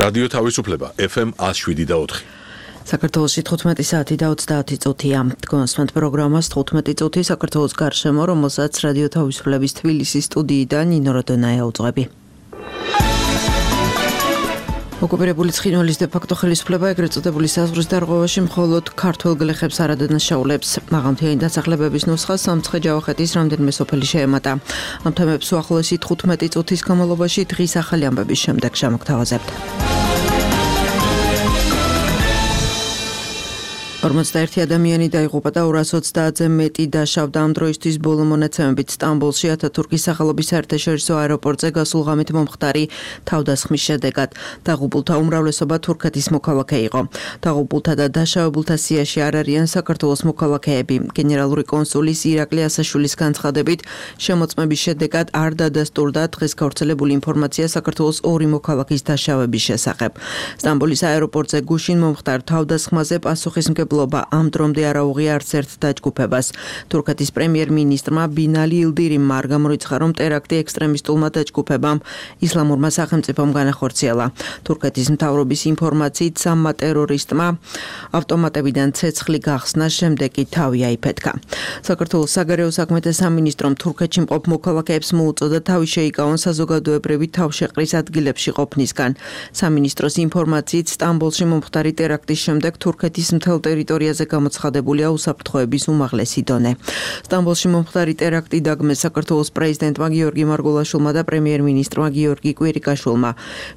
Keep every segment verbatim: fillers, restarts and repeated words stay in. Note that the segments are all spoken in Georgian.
რადიო თავისუფლება ეფ ემ one oh seven და four. საქართველოში თხუთმეტი საათი და ოცდაათი წუთია. Თქვენსმენთ პროგრამას თხუთმეტი წუთი საქართველოს გარშემო, რომელსაც რადიო თავისუფლების თბილისის სტუდიიდან ნინო როდონაია უძღვები. ოკუპირებული ცხინვალის დე-ფაქტო ხელისუფლება ეგრეთ წოდებული საზღვრის დარღვევაში მხოლოდ ქართველ გლეხებს არ ადანაშაულებს. მაღალმთიანი დასახლებების ნუსხას სამცხე-ჯავახეთის რამდენიმე სოფელი შეემატა. ამ თემებს უახლოესი თხუთმეტი წუთის განმავლობაში დღის ახალი ამბების შემდეგ შემოგთავაზებთ. ორმოცდაერთი ადამიანი დაიღუპა და ორას ოცდაათზე მეტი დაშავდა. ამ დროისთვის ბოლო მონაცემებით სტამბოლში ათათურქის სახელობის საერთაშორისო აეროპორტზე გასულ ღამით მომხდარი თავდასხმის შედეგად დაღუპულთა უმრავლესობა თურქეთის მოქალაქე იყო. დაღუპულთა და დაშავებულთა სიაში არ არიან საქართველოს მოქალაქეები. გენერალური კონსულის ირაკლი ასაშვილის განცხადებით, შემოწმების შედეგად არ დადასტურდა დღეს გავრცელებული ინფორმაცია საქართველოს ორი მოქალაქის დაშავების შესახებ. სტამბოლის აეროპორტზე გუშინ მომხდარ თავდასხმაზე პასუხისმგებლობა ამ დრომდე არ აუღია არც ერთ დაჯგუფებას. თურქეთის პრემიერ-მინისტრმა ბინალი ილდირიმმა არ გამორიცხა, რომ ტერაქტი ექსტრემისტულმა დაჯგუფებამ ისლამურმა სახელმწიფომ განახორციელა. თურქეთის მთავრობის ინფორმაციით სამმა ტერორისტმა ავტომატებიდან ცეცხლი გახსნა, შემდეგ კი თავი აიფეთქა. საქართველოს საგარეო საქმეთა სამინისტრომ თურქეთში მყოფ მოქალაქეებს მოუწოდა თავი შეიკავონ საზოგადოებრივი თავშეყრის ადგილებში ყოფნისგან. სამინისტროს ინფორმაციით სტამბოლში მომხდარი ტერაქტის შემდეგ თურქეთის მთელ ტერიტორიაზე გამოცხადებულია უსაფრთხოების უმაღლესი დონე. სტამბოლში მომხდარი ტერაქტი დაგმეს საქართველოს პრეზიდენტმა გიორგი მარგულაშვილმა და პრემიერ-მინისტრმა გიორგი კვირიკაშვილმა.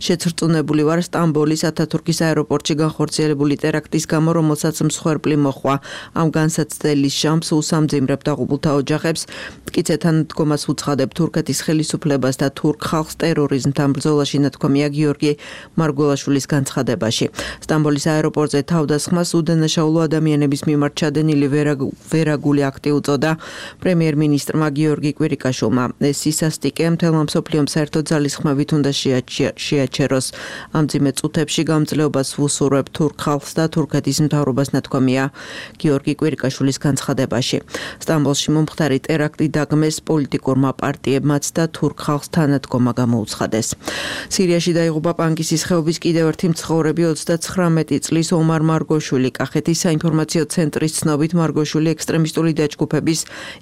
შეცრწუნებული ვარ სტამბოლის ათათურქის აეროპორტში განხორციელებული ტერაქტის გამო, რომელსაც მსხვერპლი მოჰყვა. ამ განსაცდელის შამს უსამძიმრებ დაღუპულთა ოჯახებს, მტკიცეთან დგომას უცხადებ თურქეთის ხელისუფლებას და თურქ ხალხს ტერორიზმთან ბრძოლაში, ნათქვამია გიორგი მარგულაშვილის განცხადებაში. სტამბოლის აეროპორტზე თავდასხმას უდანაშაულო ადამიანების მიმართ ჩადენილი ვერაგული აქტი უწოდა პრემიერ-მინისტრმა გიორგი კვირიკაშვილმა. ეს სისასტიკე მთელმა მსოფლიომ საერთო ძალისხმევით უნდა შეაჩეროს. ამ მძიმე წუთებში გამძლეობას ვუსურვებ თურქ ხალხს და თურქეთის მთავრობას, ნათქვამია გიორგი კვირიკაშვილის განცხადებაში. სტამბოლში მომხდარი ტერაქტი დაგმეს პოლიტიკურმა პარტიებმაც და თურქ ხალხს თანადგომა გამოუცხადეს. სირიაში დაიღუპა პანკისის ხეობის კიდევ ერთი მცხოვრები ოცდაცხრამეტი წლის ომარ მარგოშვილი. კახეთის საინფორმაციო ცენტრის ცნობით მარგოშვილი ექსტრემისტული დაჯგუფების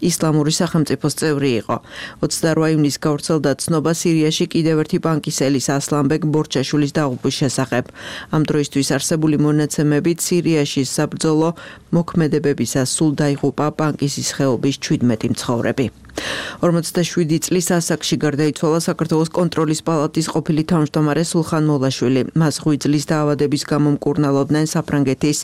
ისლამური სახელმწიფოს წევრი იყო. ოცდაორი ივნისს გავრცელდა ცნობა სირიაში კიდევ ერთი პანკისელის ასლანბეგ ბორჩაშვილის დაღუპვის შესახებ. ამ დროისთვის არსებული მონაცემებით სირიაში საბრძოლო მოქმედებებისას სულ დაიღუპა პანკისის ხეობის ჩვიდმეტი მცხოვრები. ორმოცდაშვიდი წლის ასაკში გარდაიცვალა საქართველოს კონტროლის პალატის ყოფილი თავმჯდომარე სულხან მოლაშვილი. მას ღვიძლის დაავადების გამო მკურნალობდნენ საფრანგეთის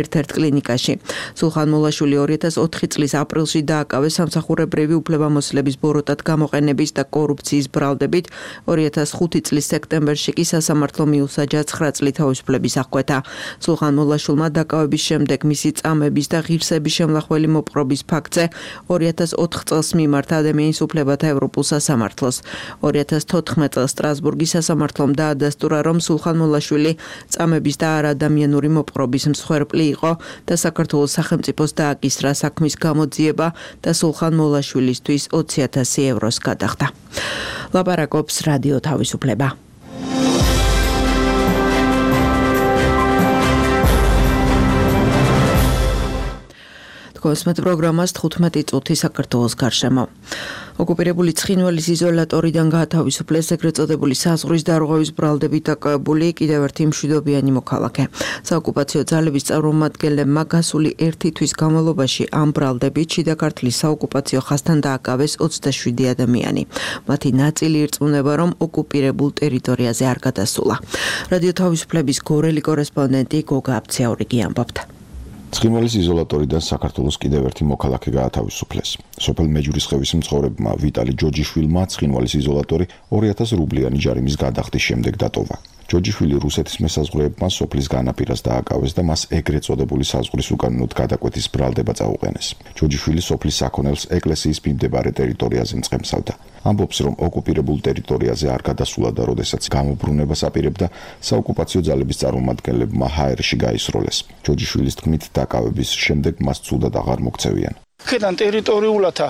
ერთ-ერთ კლინიკაში. სულხან მოლაშვილი ორი ათას ოთხი წლის აპრილში დააკავეს სამსახურებრივი უფლებამოსილების ბოროტად გამოყენების და კორუფციის ბრალდებით. ორი ათას ხუთი წლის სექტემბერში კი სასამართლო მიუსაჯა ცხრა წლის თავისუფლების აღკვეთა. სულხან მოლაშვილმა დაკავების შემდეგ მისი წამების და ღირსების შემლახველი მოპყრობის ფაქტზე ორი ათას ოთხ წელს მიმართა ადამიანის უფლებათა ევროპულ სასამართლოს. ორი ათას თოთხმეტ წელს სტრასბურგის სასამართლომ დაადასტურა, რომ სულხან მოლაშვილი წამების და არადამიანური მოპყრობის მსხვერპლი იყო და საქართველოს სახელმწიფოს დააკისრა საქმის გამოძიება და სულხან მოლაშვილისთვის ოცი ათასი ევროს გადახდა. ლაპარაკობს რადიო თავისუფლება. კოსმეტ პროგრამას თხუთმეტი წუთი საქართველოს გარშემო. ოკუპირებული ცხინვალის იზოლატორიდან გაათავისუფლეს ეგრეთ წოდებული საზღვრის დარღვევის ბრალდებით დაკავებული კიდევ ერთი მშვიდობიანი მოქალაქე. საოკუპაციო ძალების წარმომადგენლებმა გასული ერთი თვის განმავლობაში ამ ბრალდებით შიდა ქართლის საოკუპაციო ხაზთან დააკავეს ოცდაშვიდი ადამიანი. მათი ნაწილი ირწმუნება, რომ ოკუპირებულ ტერიტორიაზე არ გადასულა. რადიო თავისუფლების გორელი კორესპონდენტი გოგა აბციაურიგი ამბობდა. ცხინვალის იზოლატორიდან საქართველოს კიდევ ერთი მოქალაქე გაათავისუფლეს. სოფელ მეჯურისხევის მცხოვრებმა ვიტალი ჯოჯიშვილმა ცხინვალის იზოლატორი ორი ათას რუბლიანი ჯარიმის გადახდის შემდეგ დატოვა. ჯოჯიშვილი რუსეთის მესაზღვრეებმა სოფლის განაპირას დააკავეს და მას ეგრეთ წოდებული საზღვრის უკანონოდ გადაკვეთის ბრალდება წაუყენეს. ჯოჯიშვილი სოფლის საქონელს ეკლესიის მიმდებარე ტერიტორიაზე მწყემსავდა. ამბობს, რომ ოკუპირებულ ტერიტორიაზე არ გადასულა და როდესაც გამობრუნებას აპირებდა, საოკუპაციო ძალების წარმომადგენლებმა ჰაერში გაისროლეს. ჯოჯიშვილის თქმით, დაკავების შემდეგ მას ცუდად აღარ მოქცევიან. აქედან ტერიტორიულათა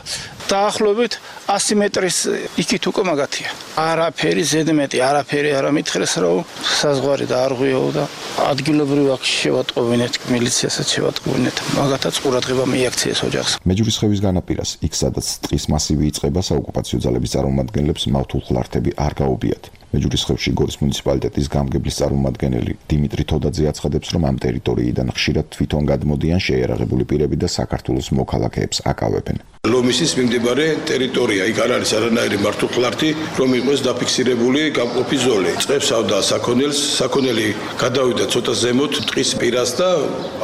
დაახლოებით ასი მეტრის იქით უკვე მაგათია. არაფერი ზედმეტი, არაფერი არ ამითხრეს, რომ საზღვარი დაარღვიო და ადგილობრივ აქ შევატყობინეთ, მილიციაში შევატყობინეთ. მაგათაც ყურადღება მიაქციეს ოჯახს. მეჯურისხევის განაპირას, იქ სადაც ტყის მასივი იწყება, საოკუპაციო ძალების წარმომადგენლებს მავთულხლართები არ გაუბიათ. მეჯურისხევში გორის მუნიციპალიტეტის გამგებლის წარმომადგენელი დიმიტრი თოდაძე აცხადებს, რომ ამ ტერიტორიიდან ხშირად თვითონ გადმოდიან შეიარაღებული პირები და საქართველოს მოქალაქეებს აკავებენ. ლომისის მიმდებარე ტერიტორია, იქ არ არის არანაირი მართულხლართი, რომ იყოს დაფიქსირებული გამყოფი ზოლი. წევსავდა საქონელს, საქონელი გადავიდა ცოტა ზემოთ ტყის პირას და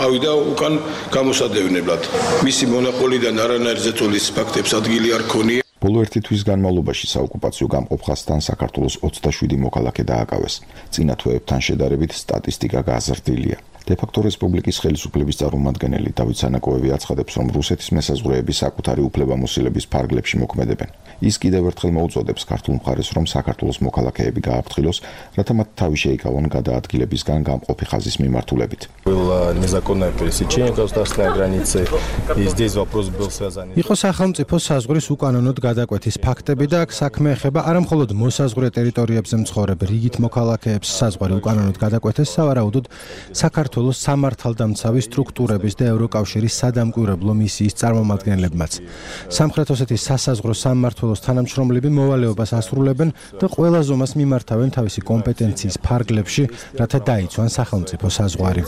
ავიდა უკან გამოსადევნებლად. მისი მონაყოლიდან არანაირ ზეწოლის ფაქტებს ადგილი არ ქონია. ბოლო ერთი თვის განმავლობაში საოკუპაციო გამყოფხასთან საქართველოს ოცდაშვიდი მოქალაქე დააკავეს. წინა თვეებთან შედარებით სტატისტიკა გაზრდილია. დე-ფაქტო რესპუბლიკის ხელისუფლების წარმომადგენელი დავით სანაკოევი აცხადებს, რომ რუსეთის მესაზღვრეები საკუთარი უფლებამოსილების ფარგლებში მოქმედებენ. ის კიდევ ერთხელ მოუწოდებს ქართულ მხარეს, რომ საქართველოს მოქალაქეები გააფრთხილოს, რათა მათ თავი შეიკავონ გადაადგილებისგან გამყოფი ხაზის მიმართულებით. იყო სახელმწიფო საზღვრის უკანონოდ გადაკვეთის ფაქტები და აქ საქმე ეხება არა მხოლოდ მოსაზღვრე ტერიტორიებზე მცხოვრებ რიგით მოქალაქეებს საზღვარი უკანონოდ გადაკვეთეს, სავარაუდოდ საქართველოს სამართალდამცავი სტრუქტურების და ევროკავშირის სადამკვირვებლო მისიის წარმომადგენლებმაც. სამხრეთ ოსეთის სასაზღვრო სამმართველოს თანამშრომლები მოვალეობას ასრულებენ და ყველა ზომას მიმართავენ თავისი კომპეტენციის ფარგლებში, რათა დაიცვან სახელმწიფო საზღვარი.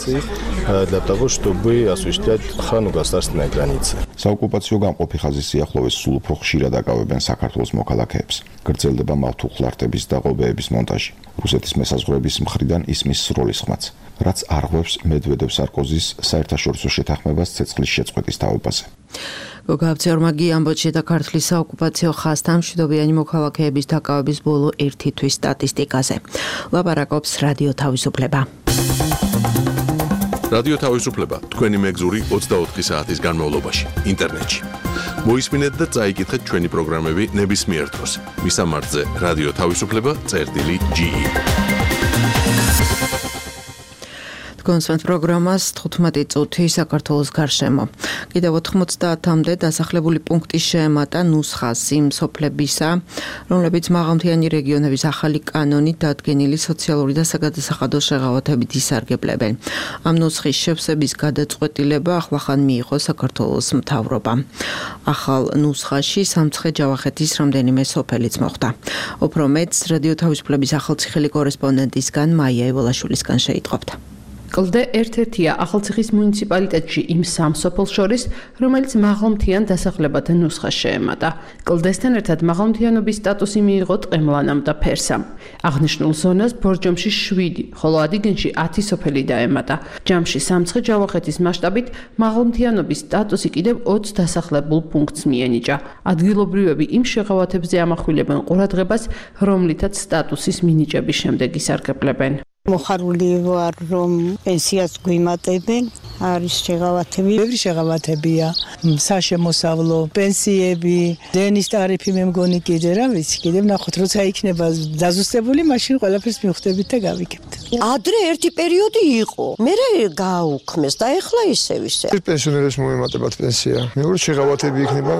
საოკუპაციო გამყოფი ხაზის სიახლოვეს სულ უფრო ხშირად აკავებენ საქართველოს მოქალაქეებს. გრძელდება მავთულხლართების და ღობეების მონტაჟი. რუსეთის მესაზღვრეების მხრიდან ისმის სროლის ხმაც, რაც არღვევს მედვედევ სარკოზის საერთაშორისო შეთანხმებას ცეცხლის შეწყვეტის თაობაზე. გოგაბცერმაგი ამბოჩი და ქართლის საოკუპაციო ხაზთან მშვიდობიანი მოქალაქეების დაკავების ბოლო ერთი თვის სტატისტიკაზე. ლაპარაკობს რადიო თავისუფლება. რადიო თავისუფლება თქვენი მეგზური ოცდაოთხი საათის განმავლობაში ინტერნეტში. მოისმინეთ და წაიკითხეთ ჩვენი პროგრამები ნებისმიერ დროს. მისამართზე რადიო თავისუფლება წერტილი ჯი ი. კონსვენთ პროგრამას თხუთმეტი წუთი საქართველოს გარშემო. კიდევ ოთხმოცდაათამდე დასახლებული პუნქტი შეემატა ნუსხას იმ სოფლებისა, რომლებიც მაღალმთიანი რეგიონების ახალი კანონით დადგენილი სოციალური და საგადასახადო შეღავათებით ისარგებლებენ. ამ ნუსხის შევსების გადაწყვეტილება ახლახან მიიღო საქართველოს მთავრობამ. ახალ ნუსხაში სამცხე-ჯავახეთის რამდენიმე სოფელიც მოხვდა. უფრო მეტს რადიო თავისუფლების ახალციხელი კორესპონდენტისგან მაია ევოლაშვილისგან შეიტყობთ. კლდე ერთ-ერთია ახალციხის მუნიციპალიტეტში იმ სამ სოფელს შორის, რომელიც მაღალმთიან დასახლებათა ნუსხას შეემატა. კლდესთან ერთად მაღალმთიანობის სტატუსი მიიღო ტყემლანამ და ფერსამ. აღნიშნულ ზონას ბორჯომში შვიდი, ხოლო ადიგენში ათი სოფელი დაემატა. ჯამში სამცხე-ჯავახეთის მასშტაბით მაღალმთიანობის სტატუსი კიდევ ოცს დასახლებულ პუნქტს მიენიჭა. ადგილობრივები იმ შეღავათებზე ამახვილებენ ყურადღებას, რომლითაც სტატუსის მინიჭების შემდეგ ისარგებლებენ. მოხარული ვარ, რომ პენსიას გვიმატებენ, არის შეღავათები. ბევრი შეღავათებია, საშემოსავლო, პენსიები, დენის ტარიფი მე მგონი კიდე რა ვიცი, კიდე ვნახოთ, როცა იქნება დაზუსტებული, მაშინ ყველაფერს მივხვდებით და გავიგებთ. ადრე ერთი პერიოდი იყო, მერე გააუქმეს და ეხლა ისევ ისე. პენსიონერებს მოემატებათ პენსია. მეორე შეღავათები იქნება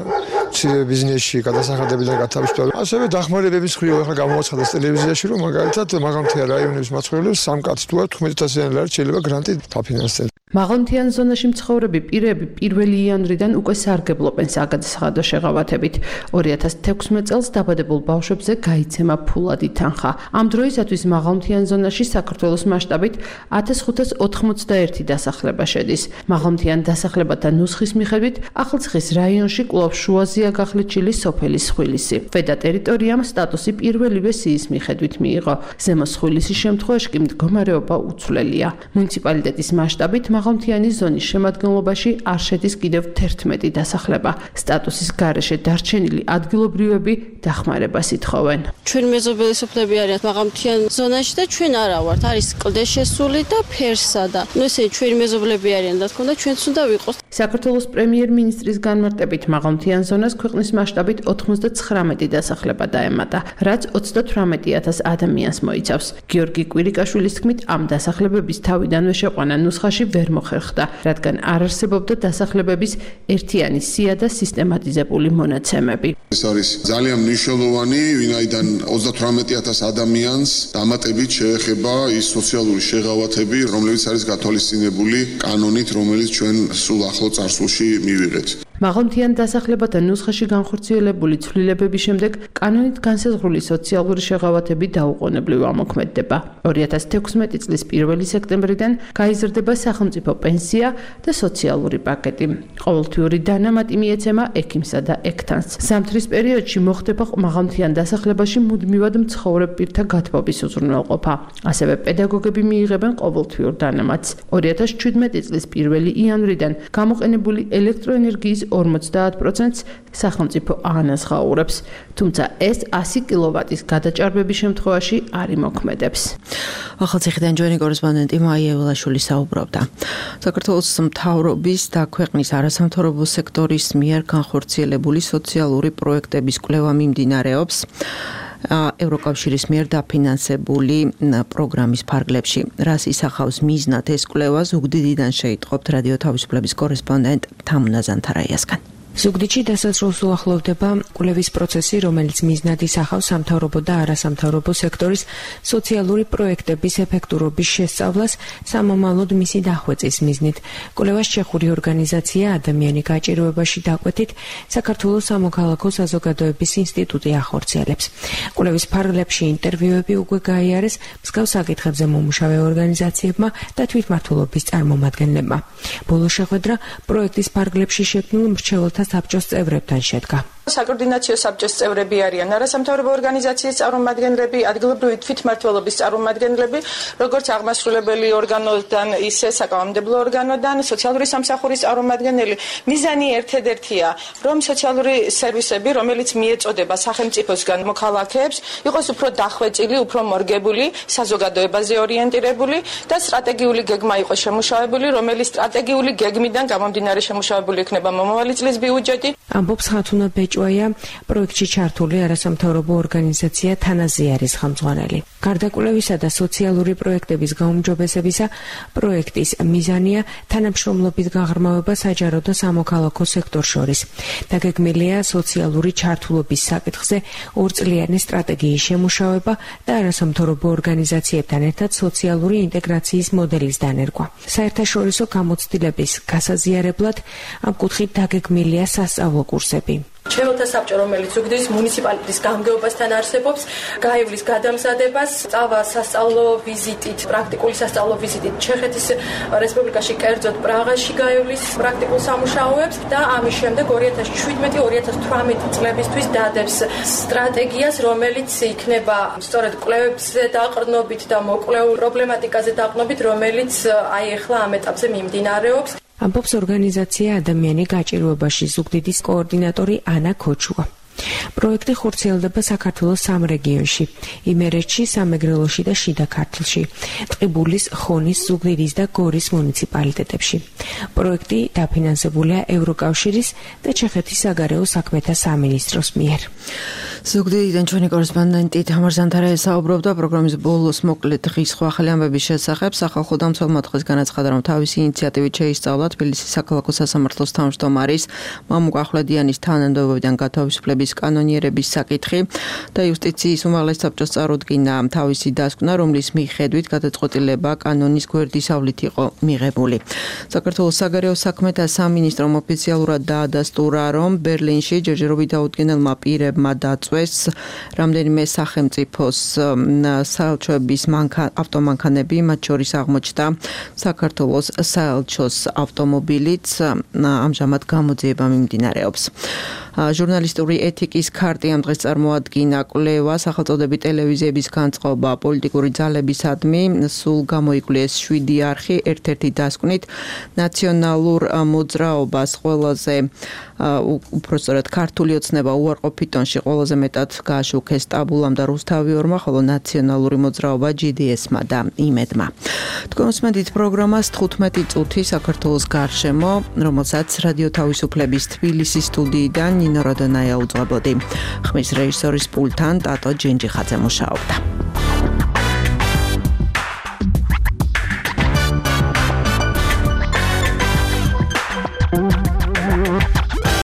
მცირე ბიზნესში, გადასახადებიდან გათავისუფლება. ასევე დახმარებების მხრივ ახლა გამოაცხადეს ტელევიზიაში, რომ მაგალითად მაღალმთიან რაიონების მაცხოვრებლებს სამ კაცს თუ თხმეტასიანი ლარი შეიძლება გრანტი დაფინანსდეს. მაღალმთიან ზონაში მცხოვრები პირები პირველი იანვრიდან უკვე სარგებლობენ საგადასახადო შეღავათებით. ორი ათას თექვსმეტ წელს დაბადებულ ბავშვებზე გაიცემა ფულადი თანხა. ამ დროისათვის მაღალმთიან ზონაში საქართველოს მასშტაბით ათას ხუთას ოთხმოცდაერთი დასახლება შედის. მაღალმთიან დასახლებათა ნუსხის მიხედვით ახალციხის რაიონში კვლავ შუაზეა გახლეჩილი სოფელი სხვილისი. ქვედა ტერიტორიამ სტატუსი პირველივე სიის მიხედვით მიიღო. ზემო სხვილისის შემთხვევაში კი მდგომარეობა უცვლელია. მუნიციპალიტეტის მასშტაბით მაღალმთიანი ზონის შემადგენლობაში არ შედის კიდევ თერთმეტი დასახლება. სტატუსის გარეშე დარჩენილი ადგილობრივები დახმარებას ითხოვენ. ჩვენ მეზობელი სოფლები არიან მაღალმთიან ზონაში და ჩვენ არა ვართ. არის კლდე შესული და ფერსა და ნუ ესე ჩვენი მეზობლები არიან და თქო და ჩვენც უნდა ვიყოს. საქართველოს პრემიერ-მინისტრის განმარტებით მაღალმთიან ზონას ქვეყნის მასშტაბით ოთხმოცდაცხრამეტი დასახლება დაემატა, რაც ოცდათვრამეტი ათას ადამიანს მოიცავს. გიორგი კვირიკაშვილის თქმით, ამ დასახლებების თავიდანვე შეყვანა ნუსხაში ვერ მოხერხდა, რადგან არ არსებობდა დასახლებების ერთიანი სია და სისტემატიზებული მონაცემები. ეს არის ძალიან მნიშვნელოვანი, ვინაიდან ოცდათვრამეტი ათას ადამიანს დამატებით შეეხება ის სოციალური შეღავათები, რომლებიც არის გათვალისწინებული კანონით, რომელიც ჩვენ სულ ახლო წარსულში მივიღეთ. მაღალმთიან დასახლებათა ნუსხაში განხორციელებული ცვლილებების შემდეგ კანონით განსაზღვრული სოციალური შეღავათები დაუყოვნებლივ ამოქმედდება. ორი ათას თექვსმეტი წლის პირველი სექტემბრიდან გაიზრდება სახელმწიფო პენსია და სოციალური პაკეტი. ყოველთვიური დანამატი მიეცემა ექიმსა და ექთანს. ზამთრის პერიოდში მოხდება მაღალმთიან დასახლებაში მუდმივად მცხოვრებ პირთა გათბობის უზრუნველყოფა. ასევე პედაგოგები მიიღებენ ყოველთვიურ დანამატს. ორი ათას ჩვიდმეტი წლის პირველი იანვრიდან გამოყენებული ელექტროენერგიის ორმოცდაათ პროცენტს სახელმწიფო აანაზღაურებს, თუმცა ეს ასი კილოვატის გადაჭარბების შემთხვევაში არ იმოქმედებს. ახალციხიდან ჩვენი კორესპონდენტი მაია ევლაშვილი საუბრობდა. საქართველოს მთავრობის და ქვეყნის არასამთავრობო სექტორის მიერ განხორციელებული სოციალური პროექტების კვლევა მიმდინარეობს ევროკავშირის მიერ დაფინანსებული პროგრამის ფარგლებში. რას ისახავს მიზნად ეს კვლევა, ზუგდიდიდან შეიტყობთ რადიო თავისუფლების კორესპონდენტ თამუნა ზანთარაიასგან. ზუგდიდში დასაწყისს უახლოვდება კვლევის პროცესი, რომელიც მიზნად ისახავს სამთავრობო და არასამთავრობო სექტორის სოციალური პროექტების ეფექტურობის შესწავლას სამომავლოდ მისი დახვეწის მიზნით. კვლევას ჩეხური ორგანიზაცია ადამიანი გაჭირვებაში დაკვეთით საქართველოს სამოქალაქო საზოგადოების ინსტიტუტი ახორციელებს. კვლევის ფარგლებში ინტერვიუები უკვე გაიარეს მსგავს საკითხებზე მომუშავე ორგანიზაციებმა და თვითმმართველობის წარმომადგენლებმა. ბოლო შეხვედრა პროექტის ფარგლებში შექმნილ მრჩეველთა საბჭოს წევრებთან შედგა. საკოორდინაციო საბჭოს წევრები არიან არასამთავრობო ორგანიზაციის წარმომადგენლები, ადგილობრივი თვითმმართველობის წარმომადგენლები, როგორც აღმასრულებელი ორგანოდან, ისე საკანონმდებლო ორგანოდან, სოციალური სამსახურის წარმომადგენელი. მიზანი ერთადერთია, რომ სოციალური სერვისები, რომელიც მიეწოდება სახელმწიფოსგან მოქალაქეებს, იყოს უფრო დახვეწილი, უფრო მორგებული, საზოგადოებაზე ორიენტირებული და სტრატეგიული გეგმა იყოს შემუშავებული, რომელიც სტრატეგიული გეგმიდან გამომდინარე შემუშავებული იქნება მომავალი წლის ბიუჯეტი. ამბობს ხათუნა ბეჭვაია, პროექტში ჩართული არასამთავრობო ორგანიზაცია თანაზიარის ხელმძღვანელი. გარდა კვლევისა და სოციალური პროექტების გაუმჯობესებისა, პროექტის მიზანია თანამშრომლობის გაღრმავება საჯარო და სამოქალაქო სექტორ შორის. დაგეგმილია სოციალური ჩართულობის საკითხზე ორწლიანი სტრატეგიის შემუშავება და არასამთავრობო ორგანიზაციებთან ერთად სოციალური ინტეგრაციის მოდელის დანერგვა. საერთაშორისო გამოცდილების გასაზიარებლად ამ კუთხით დაგეგმილია სასწავლო კურსები. მრჩეველთა საბჭო, რომელიც ზუგდიდის მუნიციპალიტეტის გამგეობასთან არსებობს, გაივლის გადამზადებას, წავა სასწავლო ვიზიტით, პრაქტიკული სასწავლო ვიზიტით ჩეხეთის რესპუბლიკაში, კერძოდ პრაღაში გაივლის პრაქტიკულ სამუშაოებს და ამის შემდეგ ორი ათას შვიდმეტი ორი ათას თვრამეტი წლებისთვის დადებს სტრატეგიას, რომელიც იქნება სწორედ კვლევებზე დაყრდნობით და მოკვლეულ პრობლემატიკაზე დაყრდნობით, რომელიც აი ახლა ამ ეტაპზე მიმდინარეობს. ამბობს ორგანიზაცია ადამიანი გაჭირვებაში ზუგდიდის კოორდინატორი ანა ქოჩუა. პროექტი ხორციელდება საქართველოს სამ რეგიონში: იმერეთში, სამეგრელოში და შიდა ქართლში, ტყიბულის, ხონის, ზუგდიდის და გორის მუნიციპალიტეტებში. პროექტი დაფინანსებულია ევროკავშირის და ჩეხეთის საგარეო საქმეთა სამინისტროს მიერ. ზუგდიდიდან ჩვენი კორესპონდენტი თამარ ზანთარაია საუბრობდა პროგრამის ბოლოს მოკლედ დღის სხვა ახალი ამბების შესახებ. სახალხო დამცველმა დღეს განაცხადა, რომ თავისი ინიციატივით შეისწავლა თბილისის საქალაქო სასამართლოს თავმჯდომარის მამუკ ახვლედიანის თანამდებობიდან გათავისუფლების კანონიერების საკითხი და იუსტიციის უმაღლეს საბჭოს წარუდგინა თავისი დასკვნა, რომლის მიხედვით გადაწყვეტილება კანონის გვერდისავლით იყო მიღებული. საქართველოს საგარეო საქმეთა სამინისტრომ ოფიციალურად დაადასტურა, რომ ბერლინში ჯერჯერობით დაუდგენელმა პირებმა დაწვეს რამდენიმე სახელმწიფოს საელჩოების ავტომანქანები, მათ შორის აღმოჩნდა საქართველოს საელჩოს ავტომობილიც, ამჟამად გამოძიება მიმდინარეობს. ჟურნალისტური ეთიკის ქარტი ამ დღეს წარმოადგინა კვლევა სახელწოდებით ტელევიზიების განწყობა პოლიტიკური ძალებისადმი, სულ გამოიკვლიეს შვიდი არხი, ერთ-ერთი დასკვნით ნაციონალურ მოძრაობას ყველაზე უпростоრად ქართული ოცნება უარყოფით ტონში ყველაზე მეტად გააშუქეს ტაბულამ და რუსთავიორმა, ხოლო ნაციონალური მოძრაობა ჯი დი ესმა და იმედმა. თქვენსმენდით პროგრამას თხუთმეტი წუთი საქართველოს გარშემო, რომელსაც რადიო თავისუფლების თბილისის სტუდიიდან ნინო როდონაია უძღვებოდი. ხმის რეჟისორის პულტთან ტატო ჯენჯიხაძე მუშაობდა.